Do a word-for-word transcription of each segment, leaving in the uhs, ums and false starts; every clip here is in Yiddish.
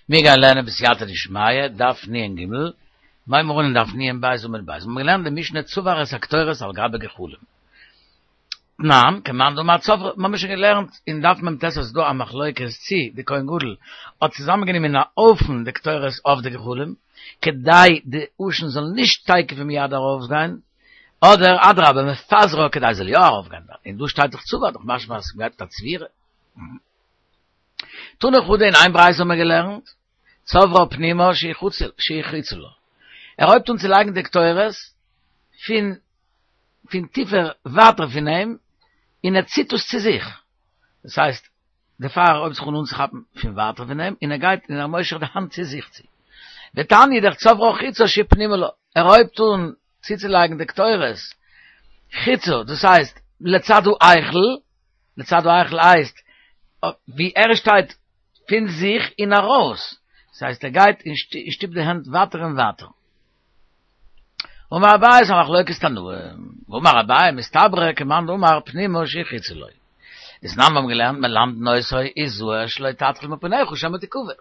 מיר גייען לערנען בסייעתא דשמיא, דף נ ג, מיר הייבן אן דף נ בית עמוד בית. מיר האבן געלערנט די משנה צבר את הקטורת על גבי גחלים. תנן, כמאן דאמר צברה, מיר האבן שוין געלערנט אין דף מ ט אז ס'איז דא א מחלוקת צי די כהן גדול האט צוזאמענגענומען אין א הויפן די קטורת אויף די גחלים, כדי די עשן זאל נישט תיכף ומיד ארויפגיין, אדער אדרבה מפזרה כדי זאל יא ארויפגיין, און דא שטייט דאך צבר, דאך משמע אז ס'גייט מיט א צבירה. תנא חדא אין איין ברייתא האבן מיר געלערנט, צברה פנימה שהיא חוצה לה. ער הויבט אן צו לייגן די קטורת פון פון טיפער ווייטער פון אים, און ער ציט עס צו זיך. דאס הייסט, די פייער הויבט זיך אן אנצוכאפן פון ווייטער פון אים, און ער גייט און ער מושך די האנט צו זיך צו. ותניא אידך צברה חוצה שהיא פנימה לה. ער הויבט אן צוצולייגן די קטורת חוצה, דאס הייסט לצד ההיכל, לצד ההיכל הייסט ווי ער שטייט פון זיך און ארויס, דאס הייסט ער גייט און שטופט די הענט ווייטער און ווייטער. אמר אביי ס'איז א מחלוקת תנאים, ואמר אביי מסתברא כמאן דאמר פנימה שהיא חוצה לו. דתנן מיר האבן געלערנט מלמדין אותו הזהר שלא תתחיל מפניך שמא תכבה.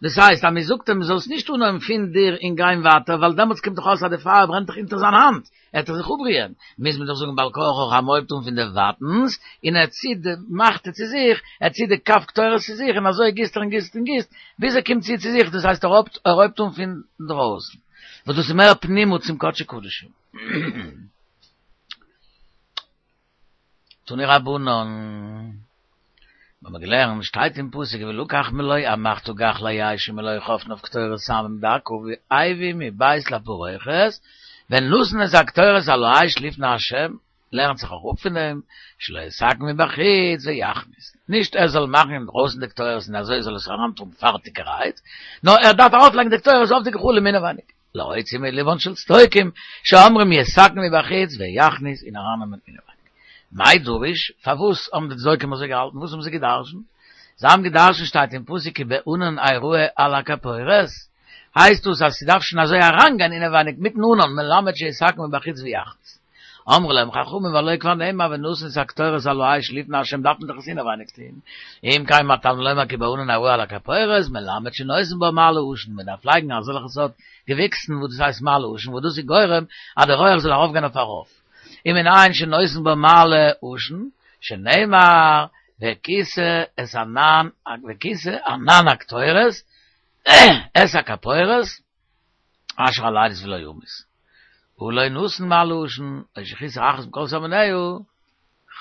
דאס הייסט אז מען זאגט אים זאלסט נישט אנהויבן פון דיר און גיין ווייטער ווייל דעמאלטס קומט דאך אויס אז די פייער ברענט דאך אונטער זיין האנט, ער וועט דאך זיך אפבריען, מוז מען דאך זאגן בעל כרחך אז מ'הויבט אן פון די ווייטנס און ער ציט די מחתה צו זיך, ער ציט די כף קטורת צו זיך און אזוי גיסט ער און גיסט און גיסט ביז ער קומט צו צו זיך, דאס הייסט ער הויבט אן פון דרויסן, וואס דאס איז מער פנימה צום קדשי קדשים. תנו רבנן, מיר האבן געלערנט, שטייט אין פסוק ולקח מלא המחתה גחלי אש ומלא חפניו קטורת סמים דקה והביא מבית לפרוכת, ונתן את הקטורת על האש לפני ה', לערנט זיך אויך אפ פון דעם, שלא יתקן מבחוץ ויכניס, נישט ער זאל מאכן אינדרויסן די קטורת און אזוי זאל עס אריינטראגן פארטיגערהייט, נאר ער דארף ארויפלייגן די קטורת אויף די גחלים אינעווייניג. להוציא מלבן של צדוקים, שאומרים יתקן מבחוץ ויכניס און ארייננעמען אינעווייניג. מאי דרוש, פארוואס האבן די צדוקים אזוי געהאלטן, וואס האבן זיי גע'דרש'נט? זיי האבן גע'דרש'נט שטייט אין פסוק כי בענן אראה על הכפורת, הייסט דאס אז ס'דארף שוין אזוי אריינגיין אינעווייניג מיטן ענן מלמד שיתקן מבחוץ ויכניס. אמרו להם חכמים והלא כבר נאמר ונתן את הקטורת על האש לפני השם דארף מען דאך עס אינעווייניג טוהן, אם כן מה תלמוד לומר כי בענן אראה על הכפורת מלמד שנותן בה מעלה עשן מען דארף לייגן אזעלכע סארט געוויקסן וואס דאס הייסט מעלה עשן וואס דאס איז גורם אז די רויעך זאל ארויפגיין אויף ארויף ומנין שנותן בה מעלה עשן שנאמר וכסה את ענן וכסה ענן הקטורת את הכפורת אשר על העדות ולא ימות. הא לא נתן מעלה עשן, או שחיסר אחת מכל סממניה,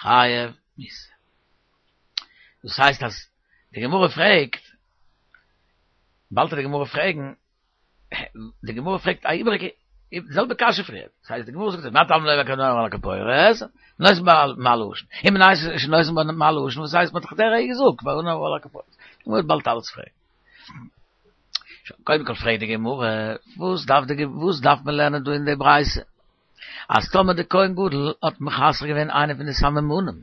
חייב מיתה. דאס הייסט אז די גמרא פרעגט, באלד וועט די גמרא פרעגן, די גמרא פרעגט א איבעריגע, די זעלבע קשיא פריער, דאס הייסט די גמרא זאגט מה תלמוד לומר כי בענן אראה על הכפורת, נותן בה מעלה עשן, ומנין שנותן בה מעלה עשן, וואס הייסט מ'האט דאך דער געזאגט בענן אראה על הכפורת, די גמרא וועט באלד אלעס פרעגן. קודם כל פרעגט די גמרא, וואס דארף די וואס דארף מען לערנען דא אין די ברייתא? אז טאמער די כהן גדול האט מחסר געווען איינע פון די סממנים,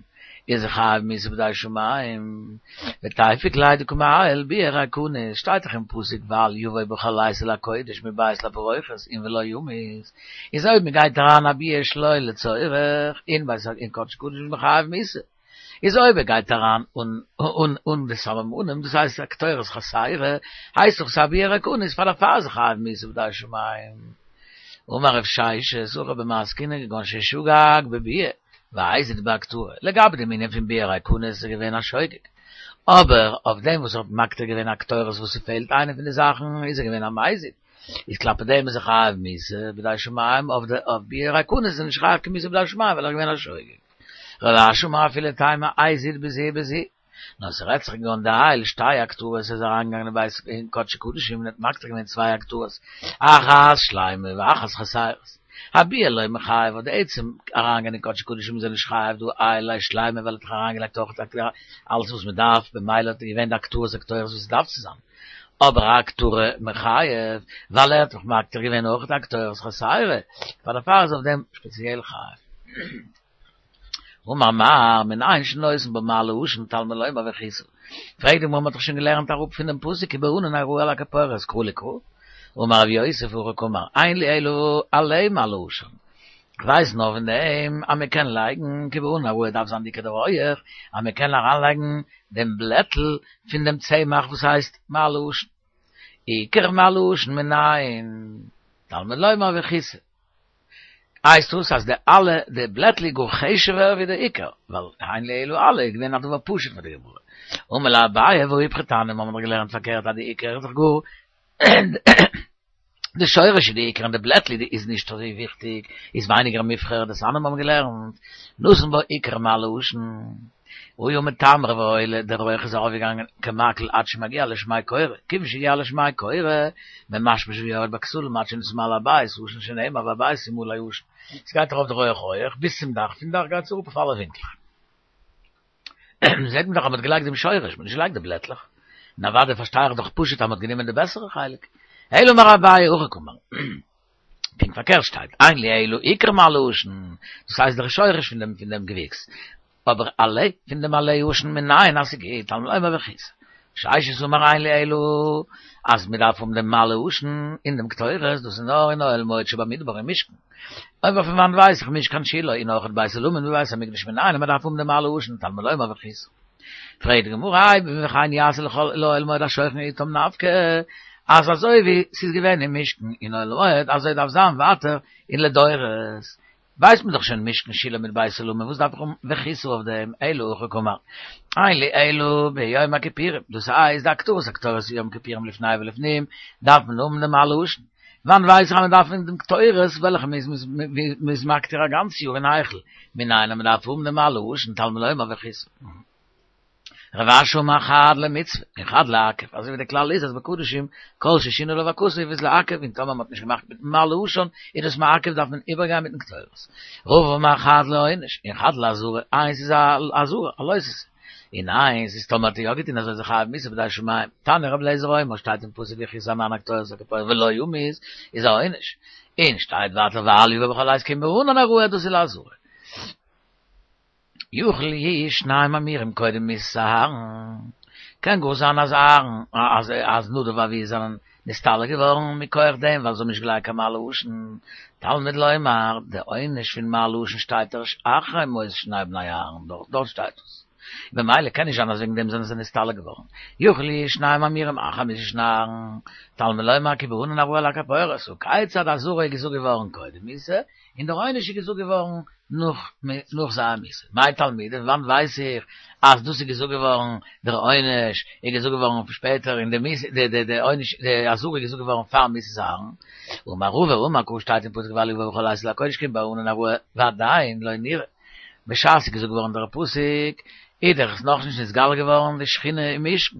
איז ער חייב מיתה בידי שמים, ותיפוק ליה דקא מעייל ביאה ריקנית, שטייט דאך אין פסוק ואל יבא בחלות אל הקודש מבית לפרוכת און ולא ימות, איז אויב מען גייט אריין א ביאה שלא לצורך אין בית אין קדש קדשים איז מען חייב מיתה. איז אויב ער גייט אריין אן אן אן די סממנים, דאס הייסט א קטורת חסרה, הייסט דאך ס'איז א ביאה ריקנית פאר דערפאר איז ער חייב מיתה בידי שמים. אמר רב ששת, הכא במאי עסקינן כגון ששגג בביאה, והזיד בהקטרה, לגבי דעם ענין פון ביאה ריקנית איז ער געווען א שוגג, אבער אויף דעם וואס ער האט מקטיר געווען א קטורת וואס ס'פעלט איינע פון די זאכן איז ער געווען א מזיד, איז כלפי דעם איז ער חייב מיתה בידי שמים, אויף די אויף ביאה ריקנית איז ער נישט חייב קיין מיתה בידי שמים ווייל ער איז געווען א שוגג. רב אשי אמר אפילו תימא הזיד בזו ובזו, נאר ס'רעדט זיך כגון דעייל שתי הקטרות איז אריינגעגאנגען אין בית אין קדשי קדשים און האט מקטיר געווען צוויי הקטרות, אחת שלימה ואחת חסרות. אביאה לא מיחייב אויף די עצם אריינגיין אין קדשי קדשים איז ער נישט חייב דהא עייל ליה שלימה ווייל ער האט דאך אריינגעלייגט אויך אלעס וואס מ'דארף במילא האט געווען די הקטרות הקטורת וואס עס דארף צו זיין. אבער אהקטרה מיחייב ווייל ער האט דאך מקטיר געווען אויך די הקטורת חסרה, פאר דערפאר איז אויף דעם שפעציעל חייב. אמר מר, מנין שנותן בה מעלה עשן תלמוד לומר וכסה. פרעגט די גמרא מ'האט דאך שוין געלערנט אראפ פונעם פסוק כי בענן אראה על הכפורת קרא לקרא. אמר רב יוסף הכי קאמר, אין לי אלא עלה מעלה עשן. כ'ווייס נאר פון דעם אז מ'קען לייגן כי בענן אראה דארף זיין דיקער דער רויעך, אז מ'קען אריינלייגן דעם בלעטל פון דעם צמח וואס הייסט מעלה עשן. עיקר מעלה עשן מנין, תלמוד לומר וכיסא. הייסט דאס אז די אלע די בלעטל גאר חשוב'ער ווי די עיקר, ווייל הן לאלו עלה געווען א דבר פשוט פאר די גמרא. אמר ליה אביי והא איפכא תניא, מיר האבן דאך געלערנט פארקערט אז די עיקר איז דאך גאר די שורש איז די עיקר און די בלעטל איז נישט אזוי וויכטיג, איז ווייניגער מובחר, דתניא מיר האבן געלערנט נתן בה עיקר מעלה עשן. היה מתמר ועולה, דער רויך איז ארויפגעגאנגען כמקל עד שמגיע לשמי קורה, כיוון שהגיע לשמי קורה, ממשמש ויורד בכתלים עד שנתמלא הבית, עשן שנאמר והבית ימלא עשן. עס גייט ארויף דער רויך הויעך ביז צום דאך, פון דאך גייט עס אראפ אויף אלע ווינקלעך. זעט מען דאך אז מען האט געלייגט דעם שורש, מען האט נישט געלייגט די בלעטלעך. און אוודאי פארשטיי איך דאך פשוט אז מען האט גענומען די בעסערע חלק. אלא אמר אביי הכי קאמר. פונקט פארקערט שטייט, אין לי אלא עיקר מעלה עשן, דאס הייסט דער שורש פון דעם פון דעם געוויקס, אבער עלה פון דעם עלה עשן מנין אז ס'גוט, תלמוד לומר וכיסא. ששת אמר אין לי אלא אז מ'דארף האבן דעם מעלה עשן און דעם קטורת, דאס איז נאר אין אוהל מועד שבמדבר אין משכן. אבער פון וואנט ווייס איך משכן שילה און אויך בית עולמים ובית המקדש מנין אז מ'דארף האבן דעם מעלה עשן, תלמוד לומר וכיסא. פרעגט די גמרא, וכן יעשה לאוהל מועד השוכן אתם נפקא, אז אזוי ווי ס'איז געווען אין משכן אין אוהל מועד אזוי דארף זיין ווייטער אין לדורות. ווייסט מען דאך שוין משכן שילה מיט בית עולמים, וואס דארף איך האבן וכיסו אויף דעם, אלא הכי קאמר, אין לי אלא ביום הכיפורים, דאס הייסט די הקטרת הקטורת יום כיפורים לפני ולפנים, דארף מען האבן דעם מעלה עשן, וואנען ווייס איך אז מען דארף האבן דעם קטורת וועלכע מען איז מקטיר א גאנץ יאר אין היכל, מנין אז מען דארף האבן דעם מעלה עשן תלמוד לומר וכיסו. רב אשי אמר חד למצוה און חד לעכב, אזוי ווי די כלל איז אז בקדשים כל ששינה עליו הכתוב איז לעכב און טאמער מ'האט נישט געמאכט מיטן מעלה עשן איז דאס מעכב דארף מען איבערגיין מיטן קטורת. רבא אמר חד לעונש און חד לאזהרה, איינס איז א אזהרה, א לא תעשה, און איינס איז טאמער האט ער יא געטון אזוי איז ער חייב מיתה בידי שמים, תניא רבי אליעזר אומר שטייט אין פסוק וכסה ענן הקטורת הכפורת ולא ימות איז א עונש, און שטייט ווייטער ואל יבא בכל עת כי אם בענן אראה דאס איז לאזהרה. יכול יהו שנים אמירים קודם מיתת אהרן, קען גאר זיין אז אהרן אז אז נדב ואביהוא זענען נסתלק געווארן מכח דעם ווייל זיי האבן נישט געלייגט קיין מעלה עשן, תלמוד לומר, די עונש פון מעלה עשן שטייט ערשט אחרי מות שני בני אהרן, דארט דארט שטייט עס, במילא קען נישט זיין אז וועגן דעם זענען זיי נסתלק געווארן, יכול יהו שנים אמירים אחר מיתת שני אהרן, תלמוד לומר כי בענן אראה על הכפורת, הא כיצד אזהרה איז געזאגט געווארן קודם מיתה, און דער עונש איז געזאגט געווארן נאך נאך זייער מיתה. מאי תלמודא, פון וואנט ווייס איך אז דאס איז געזאגט געווארן, דער עונש איז געזאגט געווארן שפעטער און די מיתה די די די עונש די אזהרה איז געזאגט געווארן פאר מיתת אהרן. אמר רבא אמר קרא שטייט אין פסוק ואל יבא בכל עת אל הקודש כי אם בענן אראה ועדיין לא נראה. בשעת ס'איז געזאגט געווארן דער פסוק איז דאך עס נאכנישט נתגלה געווארן די שכינה אין משכן.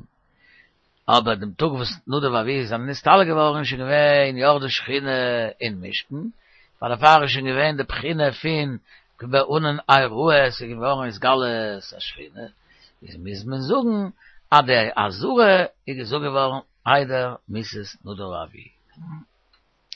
אבער דעם טאג וואס נדב ואביהוא זענען נסתלק געווארן איז שוין געווען ירדה שכינה אין משכן, פאר דערפאר איז שוין געווען די בחינה פון כי בענן אראה, עס איז געווארן התגלות השכינה, איז מוז מען זאגן אז די אזהרה איז געזאגט געווארן איידער מיתת נדב ואביהוא.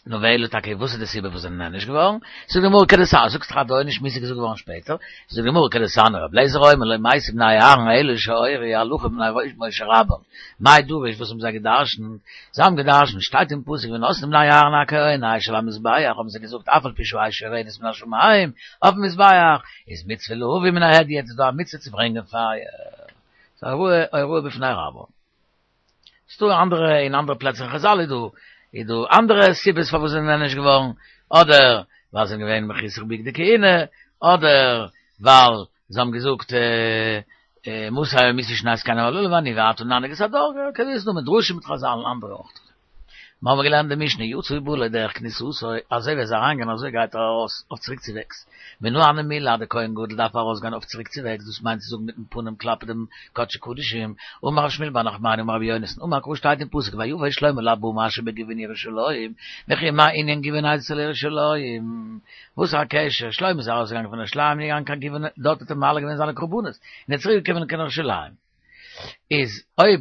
נו ואלא טאקע וואס איז די סיבה וואס זענען נענש געווארן? זאגט די גמרא כדתניא, זאגסט דאך אז די עונש מיתה איז געזאגט געווארן שפעטער, זאגט די גמרא כדתניא רבי אליעזר אומר לא מתו בני אהרן אלא שהורו הלכה מפני משה רבם, מאי דרוש וואס האבן זיי געדרשנט? זיי האבן געדרשנט, שטייט אין פסוק ונתנו בני אהרן הכהן אש על המזבח, האבן זיי געזאגט אף על פי שהאש יורדת מן השמים אויפן מזבח, איז מצוה להביא מן ההדיוט, איז דא א מצוה צו ברענגען פייער, ס'איז א הוראה בפני רבם. ס'דא אנדערע אין אנדערע פלעצער אין חזל איז דא איז דא אנדערע סיבות פארוואס זיי זענען נענש געווארן, אדער ווייל זיי זענען געווען מחוסר בגדי כהונה, אדער ווייל זיי האבן געזאגט מתי ימותו שני הזקנים הללו ואני ואתה ננהיג את הדור, כזה איז דא מדרשים מיט חזל און אנדערע אויך. מיר האבן געלערנט די משנה יצא ובא לדרך כניסתו, אזוי ווי ער איז אריינגעגאנגען אזוי גייט ער ארויס אויף צוריקצווועגס. מנא הני מילי אז דער כהן גדול דארף ארויסגיין אויף צוריקצווועגס, דאס מיינט צו זאגן מיטן פנים כלפי דעם קדשי קדשים, אמר רב שמואל בר נחמני אמר רבי יונתן אמר קרא שטייט אין פסוק ויבא שלמה לבמה אשר בגבעון ירושלים, וכי מה ענין גבעון אצל ירושלים? וואס איז א קשר? שלמה איז ארויסגעגאנגען פון ירושלים און געגאנגען קיין גבעון דארט האט ער מעלה געווען זיינע קרבנות און איז צוריק געקומען קיין ירושלים. איז אויב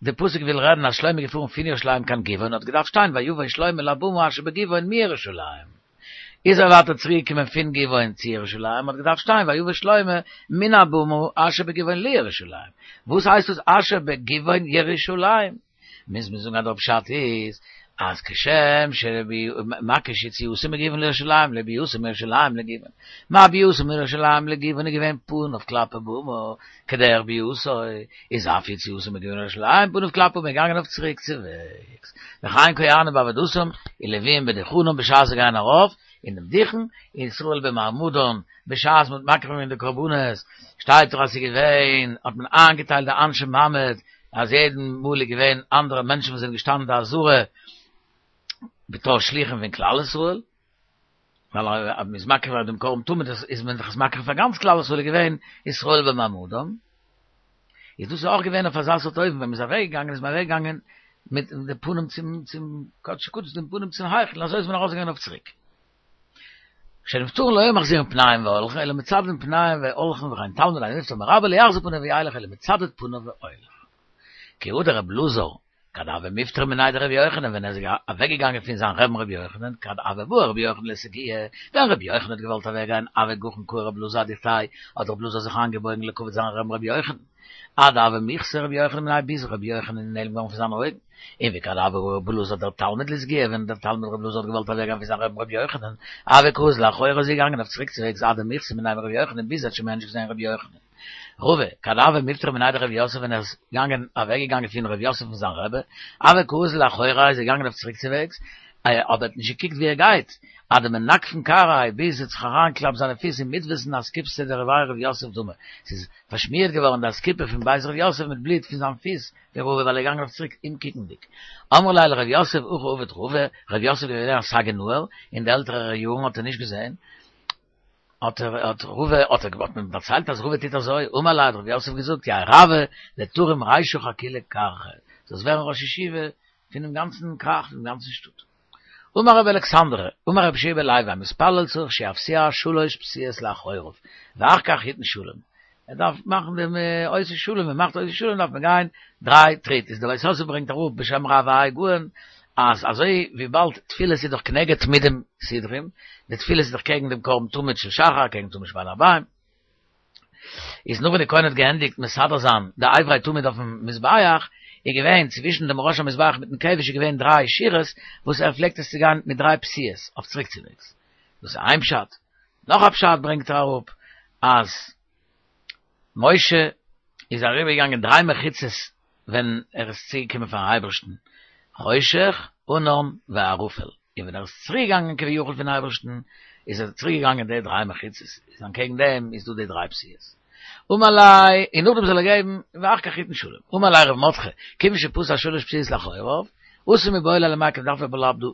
די פסוק וויל רעדן אז שלמה איז געפארן פון ירושלים קיין גבעון האט געדארפט שטיין ויבא שלמה לבמה אשר בגבעון מירושלים. איז ער ווייטער צוריק געקומען פון גבעון צו ירושלים האט געדארפט שטיין ויבא שלמה מן הבמה אשר בגבעון לירושלים. וואס הייסט דאס אשר בגבעון ירושלים? מוז מען זאגן אז דער פשט איז אז כשם שרבי מקיש יציאוסם מגיוון לירושלים, לביאוסם מירושלים לגיוון. מה ביאוסם מירושלים לגיוון געווען פניו כלפי במה, כדרך ביאתו, איז אף יציאתם מגבעון לירושלים, פניו כלפי במה געגאנגען אויף צוריק צו וועגס. וכן כהנים בעבודתם, ולוויים בדוכנם בשעת זיי גייען ארויף, אין דעם דוכן, ישראל במעמדן, בשעת מ'האט מקריב געווען די קרבנות, שטייט דאך אז ס'איז געווען, האט מען איינגעטיילט די אנשי מעמד, אז יעדן מאל איז געווען אנדערע מענטשן וואס זענען געשטאנען אין די עזרה בתור שליחים פון כלל ישראל, ווייל אז מ'איז מקריב דעם קרבן תמיד איז מען דאך עס מקריב פאר גאנץ כלל ישראל איז געווען ישראל במעמדם, איז דאס אויך געווען אויף אזא סארט אופן ווען מ'איז אוועק געגאנגען איז מען אוועק געגאנגען מיט די פנים צום צום קדשי קדשים דעם פנים צום היכל אזוי איז מען ארויס געגאנגען אויף צוריק. כשנפטרין לא היו מחזירין פניהם והולכין אלא מצדדין פניהם והולכין וכן תלמיד הנפטר מרבו לא יחזיר פניו וילך אלא מצדד פניו והולך. כי הא דרבי אלעזר כד הוה מיפטר מיניה דרבי יוחנן ווען ער איז אוועק געגאנגען פון זיין רבי'ן רבי יוחנן כד הוה בעי רבי יוחנן לסגויי ווען רבי יוחנן האט געוואלט אוועק גיין הוה גחין כרעיה רבי אלעזר אדוכתיה האט רבי אלעזר זיך איינגעבויגן לכבוד זיין רבי'ן רבי יוחנן עד דהוה מיחזי רבי יוחנן מיניה ביז רבי יוחנן איז נעלם געווארן פון זיינע אויגן און וכד הוה בעי רבי אלעזר דער תלמיד לסגויי ווען דער תלמיד רבי אלעזר האט געוואלט אוועק גיין פון זיין רבי'ן רבי יוחנן הוה קאזיל לאחוריה איז ער געגאנגען אויף צוריק צוועגס עד דמיחזי מיניה מרבי יוחנן ביז ער האט שוין מער נישט געזען רבי יוחנן. רבא, כד הוה מיפטר מיניה דרב יוסף ווען ער איז געגאנגען אוועק געגאנגען פון רב יוסף פון זיין רבי, הוה קאזיל לאחוריה איז ער געגאנגען אויף צוריק צוועגס, אבער ער האט נישט געקוקט ווי ער גייט, עד דמנגפין כרעיה ביז עס האט זיך אריינגעקלאפט זיינע פיס אין מדוותין אסקופתא דבי רב יוסף דמא, ס'איז פארשמירט געווארן די אסקופה פון בית רב יוסף מיט בלוט פון זיין פיס פון רבא ווייל ער איז געגאנגען אויף צוריק אומקוקנדיג. אמרי ליה לרב יוסף הכי עביד רבא, רב יוסף איז געווען א סגי נהור, אין די עלטערע יארן האט ער נישט געזען, האט ער האט רבא האט ער האט מען דערציילט אז רבא טוט אזוי, אמר ליה האט רב יוסף געזאגט יהא רבא דתרים רישך אכולא כרכא, זאלסט ווערן ראש ישיבה פונעם גאנצן כרך פונעם גאנצן שטאט. אמר רבי אלכסנדרי, אמר רבי יהושע בן לוי, המתפלל צריך שיפסיע שלש פסיעות לאחוריו, ואחר כך יתן שלום. ער דארף מאכן דעם עושה שלום, מען מאכט עושה שלום דארף מען גיין דריי טריט, איז דער בית יוסף ברענגט אראפ בשם רב האי גאון, אז אזוי וויבאלד תפילות איז דאך כנגד תמידים סדרים, די תפילות איז דאך קעגן דעם קרבן תמיד של שחר, קעגן תמיד של בין הערביים, איז נאך ווען די כהן האט געענדיגט מסדר זיין די אברי תמיד אויפן מזבח, איז געווען צווישן דעם ראש המזבח מיטן כבש איז געווען דריי שורות וואס ער פלעגט עס צו גיין מיט דריי פסיעות אויף צוריקצווועגס. דאס איז איין פשט. נאך א פשט ברענגט ער אראפ אז משה איז אריבערגעגאנגען דריי מחיצות ווען ער איז צוגעקומען פארן אייבערשטן, חושך, ענן וערפל, און ווען ער איז צוריק געגאנגען כביכול פון אייבערשטן, איז ער צוריק געגאנגען די דריי מחיצות, איז אנטקעגן דעם איז דא די דריי פסיעות. אמר ליה, און נאכדעם זאל ער געבן, ואחר כך יתן שלום. אמר ליה רב מרדכי, כיוון שפסע שלש פסיעות לאחוריו, אסור מיבעי ליה למיקף דארף ער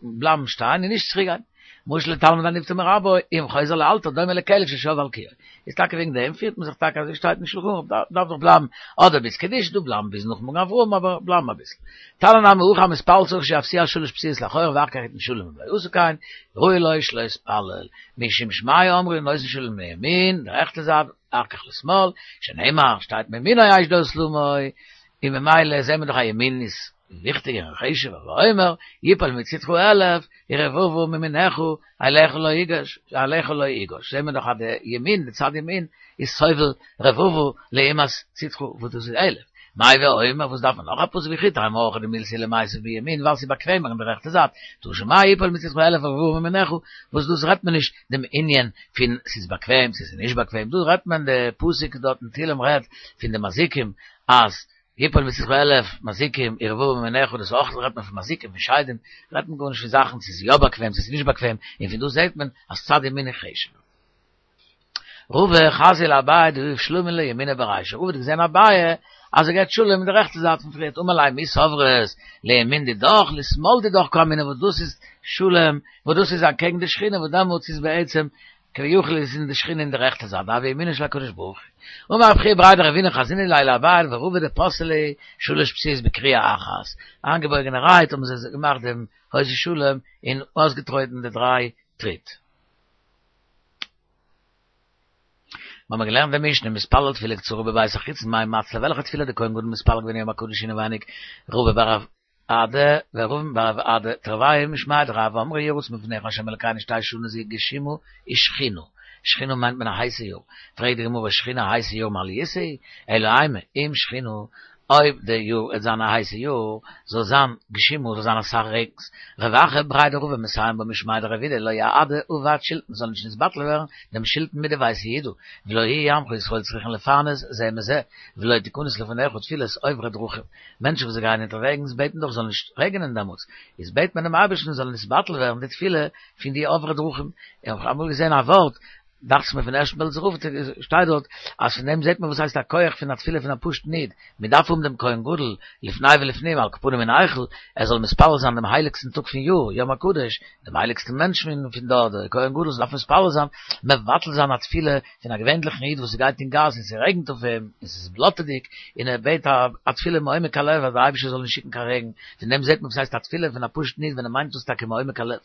בלייבן שטיין און נישט צוריק גיין. משל לתלמיד הנפטר מרבו, אם חוזר לאלתר דומה לכלב ששב על קיאו. איז טאקע וועגן דעם פירט מען זיך טאקע אזוי שטייט אין שלחן ערוך, דארף דאך בלייבן אדער ביז קדיש, דא בלייבן ביז נאך מגן אברהם אבער בלייבן אביסל. תניא נמי הכי המתפלל צריך שיפסיע שלש פסיעות לאחוריו ואחר כך יתן שלום אם לא עשה כן, ראוי לו שלא יתפלל. משום שמעיה אמרו נותן שלום לימין, די רעכטע זייט, ואחר כך לשמאל, שנאמר, שטייט מימינו אש דת למו, און ממילא זעהן מיר דאך אז ימין איז וויכטיגער און חשוב'ער, ואומר, יפול מצדך אלף, ורבבה מימינך, אליך לא יגש, אליך לא יגש, זעהן מיר דאך אז די ימין, די צד ימין, איז סובל רבבה לעומת צדך וואס דאס איז אלף. מאי ואומר, וואס דארף מען נאך א פסוק וכי תימא הכא דמילתא היא למיתב בימין ווייל ס'איז באקוועמער אין די רעכטע זייט, תא שמע יפול מצדך אלף ורבבה מימינך, וואס דאס רעדט מען נישט דעם ענין פון ס'איז באקוועם צו ס'איז נישט באקוועם, דא רעדט מען די פסוק דארט אין תהילים רעדט פון די מזיקים אז יפול מצדך אלף מזיקים ורבבה מימינך דאס אויך רעדט מען פון מזיקים פון שדים רעדט מען גארנישט פון זאכן צו ס'איז יא באקוועם צו ס'איז נישט באקוועם און פון דא זעט מען אז צד ימין איז חשוב'ער. רבא חזייה לאביי דיהיב שלמא לימיניה ברישא, רבא האט געזען אביי אז ער געבט שלום אין די רעכטע זייט פון פריערט, אמר ליה מי סברת לימין דידך לשמאל דידך קאמינא וואס דאס איז שלום וואס דאס איז אנטקעגן די שכינה וואס דעמאלטס איז בעצם כביכול איז אין די שכינה אין די רעכטע זייט דהוי ימינו של הקדוש ברוך הוא. אמר רב חייא בריה דרבינא חזינא ליה לאביי ולרבא דפסעי להו שלש פסיעות בכריעה אחת, איינגעבויגענערהייט האבן זיי געמאכט דעם עושה שלום און אויסגעטרויטן די דריי טריט. מיר האבן געלערנט די משנה, מתפלל תפילה קצרה בבית החיצון מאי מצלי, וועלכע תפילה האט די כהן גדול מתפלל געווען יום הקדוש אינעווייניג, רבא בר רב אדא ורבין בר רב אדא תרוייהו משמיה דרב אמרי יהי רצון מלפניך ה' אלקינו שתהא שנה זו גשומה ושחונה, שחונה מיינט מען א הייסע יאר, פרעגט די גמרא שחונה א הייסע יאר מעליותא היא, אלא אימא, אם שחונה, אויב דער יאר וועט זיין א הייסע יאר, זאל זיין גשימו, זאל זיין אסאך רעגנס. רב אחא בריה דרבא מסיים בה משמיה דרב אידי לא יעדי אבד שילתין, זאל נישט נתבטל ווערן דעם שילתין מיט די ווייסע אידו, ולא יהיו עמך ישראל צריכין לפרנס זה מזה, ולא תכנס לפניך תפילת עוברי דרכים. מענטשן וואס גייען אונטערוועגנס בעטן דאך זאל נישט רעגענען דעמאלטס, איז בעט מען דעם אייבערשטן זאל נתבטל ווערן די תפילה פון די עוברי דרכים. איך האב אמאל געזען א ווארט, דאכט זיך מיר פון ערשטן בעלזער רב, שטייט דארט אז פון דעם זעט מען וואס הייסט א כח פון א תפילה פון א פשוט'ן איד, מען דארף האבן דעם כהן גדול לפני ולפנים על כל פנים אין היכל, ער זאל מתפלל זיין דעם הייליגסטן טאג פון יאר, יום הקדוש, דעם הייליגסטן מענטש פון דארט, דער כהן גדול זאל דארפן מתפלל זיין, מבטל זיין א תפילה פון א געווענליכן איד וואס גייט אין גאס און ס'רעגנט אויף אים און ס'איז בלאטעדיג און ער בעט א תפילה מעומק הלב אז דער אייבערשטער זאל נישט שיקן קיין רעגן, פון דעם זעט מען וואס הייסט א תפילה פון א פשוט'ן איד ווען ער מיינט דאס טאקע מעומק הלב.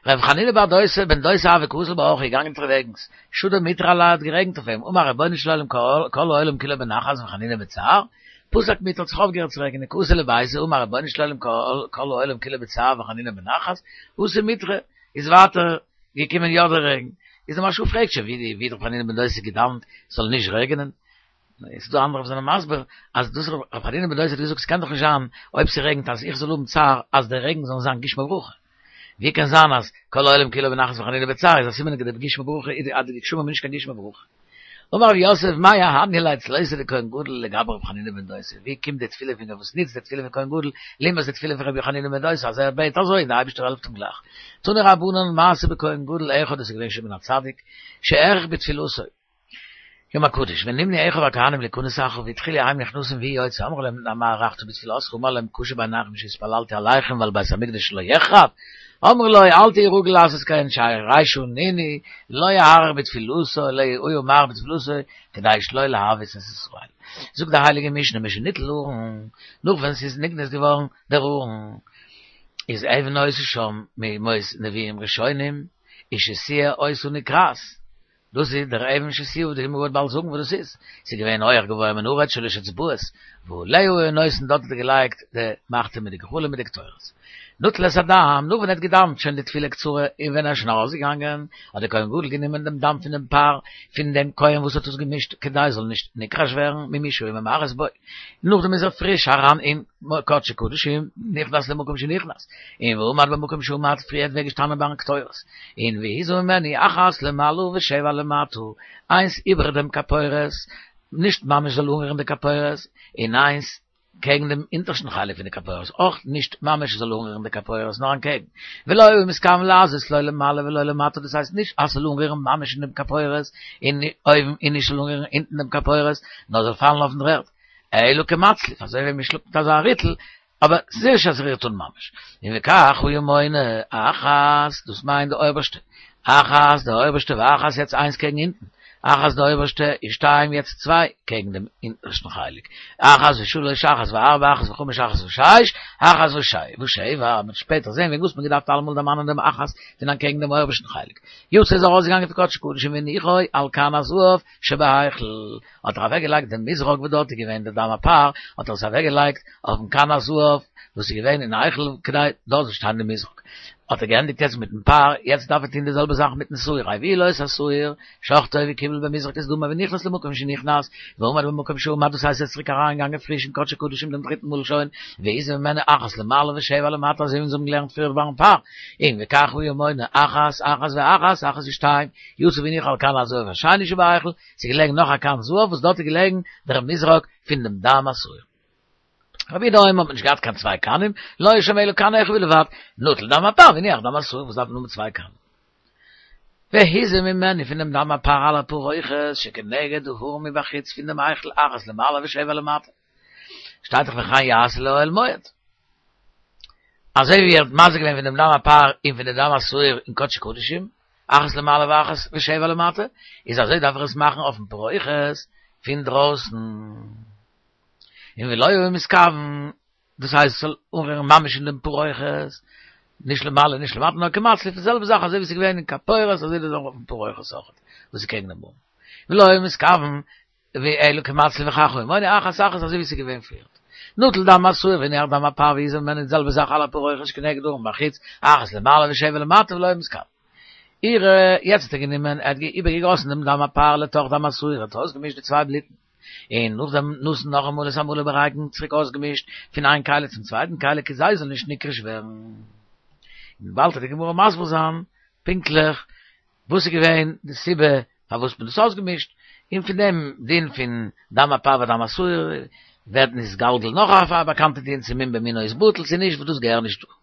ר' חנינא בר דוסא בן דוסא הוה קאזיל באורחא געגאנגען אונטערוועגנס, שדא מיטרא עליה האט גערעגנט אויף אים, אמר רבונו של עולם כל העולם כולו בנחת וחנינא בצער, פסק מיטרא האט זיך אויפגעהערט צו רעגענען קאתי לביתיה אמר רבונו של עולם כל העולם כולו בצער וחנינא בנחת, אתא מיטרא, איז ווייטער געקומען יא דער רעגן, איז דער מהרש"א פרעגט שוין ווי ווי האט ר' חנינא בן דוסא געדאווענט ס'זאל נישט רעגענען, איז דא אנדערע וואס זענען מסביר אז דאס ר' חנינא בן דוסא האט געזאגט ס'קען דאך נישט זיין אויב ס'רעגנט אז איך זאל האבן צער אז דער רעגן זאל זיין גשמי ברכה. ווי קען זיין אז כל העולם כולו בנחת וחנינא בצער איז א סימן אז די גשמי ברכה איז אז די גשמים איז נישט קיין גשמי ברכה. אמר רב יוסף מאי אהניא ליה צלותיה דכהן גדול לגבי רבי חנינא בן דוסא ווי קומט די תפילה פון וואס נוצט די תפילה פון כהן גדול לעומת די תפילה פון רבי חנינא בן דוסא אז ער בעט אזוי און די אייבערשטער העלפט אים גלייך. תנו רבנן מעשה בכהן גדול אחד עס איז געווען שמעון הצדיק שהאריך בתפילתו. יום הקדוש, ונמנו אחיו הכהנים להכנס אחריו, והתחילו הם נכנסים והוא יוצא, אמרו להם מה הארכת בתפילתך, אמר להם קשה בעיניכם שהתפללתי עליכם ועל בית המקדש שלא יחרב, אמרו לו אל תהי רגיל לעשות כן שהרי שנינו לא יאריך בתפילתו אלא היה מאריך בתפילתו כדי שלא להביס את ישראל. זאגט די הייליגע משנה משניטל ארון, נאך ווען ס'איז נגנז געווארן דער ארון, איז אבן היתה שם מימות נביאים ראשונים, ושתייה היתה נקרעת, דאס איז דער אבן שתיה וואס די גמרא וועט באלד זאגן וואס דאס איז, ס'איז געווען הויעך גבוה מן הארץ שלש אצבעות, ועליה היה נותן דארט האט ער געלייגט די מחתה מיט די גחלים מיט די קטורת. נטל את הדם, נאך ווען ער האט געדאוונט שוין די תפילה קצרה און ווען ער איז שוין ארויסגעגאנגען, האט דער כהן גדול גענומען דעם דם פון דעם פר פון דעם כהן וואס האט עס געמישט כדי עס זאל נישט נקרש ווערן ממי שהיה ממרס בו, נאכדעם איז ער פריש אריין אין קדשי קדשים, נכנס למקום שנכנס, און ועמד במקום שעמד, פריער ווי ער געשטאנען ביים קטורת, און והזה ממנו אחת למעלה ושבע למטה, איינס איבער דעם כפורת, נישט ממש זאל אנרירן די כפורת, און איינס קעגן דעם אונטערשטן חלק פון די כפורת, אויך נישט ממש זאל אנרירן די כפורת, נאר אנטקעגן, ולא היה מתכוון להזות לא למעלה ולא למטה, דאס הייסט נישט אז ס'זאל אנרירן ממש אין דעם כפורת, און אויבן, און נישט זאל אנרירן אונטן דעם כפורת, נאר זאל פאלן אויפן דר'ערד. אלא כמצליף, אזוי ווי מ'שלאגט מיט אזא ריטל, אבער ס'איז נישט אז ס'רירט אן ממש. און וכך היה מונה, אחת, דאס מיינט די אויבערשטע, אחת, די אויבערשטע, ואחת יעצט איינס קעגן אונטן, אחת די אויבערשטע, און שתיים יעצט צוויי קעגן דעם אונטערשטן חלק, אחת ושלש, אחת וארבע, אחת וחמש, אחת ושש, אחת ושבע, מ'וועט שפעטער זען וועגן וואס מ'האט געדארפט אלעמאל דערמאנען דעם אחת פון אנטקעגן דעם אויבערשטן חלק. יצא איז ארויסגעגאנגען פון קדשי קדשים והניחו על כן הזהב שבהיכל, האט ער אוועקגעלייגט דעם מזרק וואס דארט איז געווען דער דם הפר, האט ער עס אוועקגעלייגט אויפן כן הזהב וואס איז געווען אין היכל כדי דארט זאל שטיין די מזרק. האט ער געענדיגט יעצט מיטן פר, יעצט דארף ער טון די זעלבע זאך מיטן שעיר, הביאו לו את השעיר, שחטו וקיבל במזרק את דמו ונכנס למקום שנכנס, ועמד במקום שעמד, דאס הייסט ער איז צוריק אריינגעגאנגען פריש אין קדשי קדשים דעם דריטן מאל שוין, והזה ממנו אחת למעלה ושבע למטה אזוי ווי אונז האבן געלערנט פריער ביים פר, און וכך היה מונה אחת אחת ואחת אחת ושתיים, יצא והניחו על כן הזהב השני שבהיכל, ס'איז געלעגן נאך א כן זהב וואס דארט איז געלעגן דער מזרק פון דעם דם השעיר. רבי יהודה אומר האט מען נישט געהאט קיין צוויי כנים, לא היה שם אלא כן אחד בלבד, נטל דם הפר והניח דם השעיר וואס דארף מען האבן צוויי כנים. והזה ממנו פון דעם דם הפר על הפרוכת שכנגד הארון מבחוץ פון דעם היכל אחת למעלה ושבע למטה. שטייט דאך וכן יעשה לאוהל מועד. אזוי ווי ער האט מזה געווען פון דעם דם הפר און פון דעם דם השעיר אין קדשי קדשים, אחת למעלה ואחת ושבע למטה, איז אזוי דארף ער עס מאכן אויפן פרוכת פון דרויסן. און ולא היה מתכוון, דאס הייסט ס'זאל אנרירן ממש אין דעם פרוכת, נישט למעלה נישט למטה, נאר כמצליף, די זעלבע זאך אזוי ווי ס'איז געווען אין כפורת אזוי איז אויך אויפן פרוכת אויכעט, וואס איז קעגן דעם ארון. ולא היה מתכוון, אלא כמצליף וכך היה מונה אחת אחת אזוי ווי ס'איז געווען פריער. נטל דם השעיר והניח דם הפר והזה ממנו די זעלבע זאך על הפרוכת שכנגד הארון מבחוץ, אחת למעלה ושבע למטה ולא היה מתכוון. עירה, יעצט האט ער גענומען, ער האט איבערגעגאסן דעם דם הפר לתוך דם השעיר, ער האט אויסגעמישט די צוויי בלוטן. און נאכדעם נתן נאכאמאל את המלא ברקן צוריק אויסגעמישט פון איין כלי צום צווייטן כלי כדי זאל נישט נקרש ווערן. און באלד וועט די גמרא מסביר זיין פונקטליך וואס איז געווען די סיבה פארוואס מען האט דאס אויסגעמישט, און פון דעם דין פון דם הפר ודם השעיר ווערט נתגלגל נאך א באקאנטע דין צו מום במינו איז בטל צו נישט וואס דאס געהער נישט דא.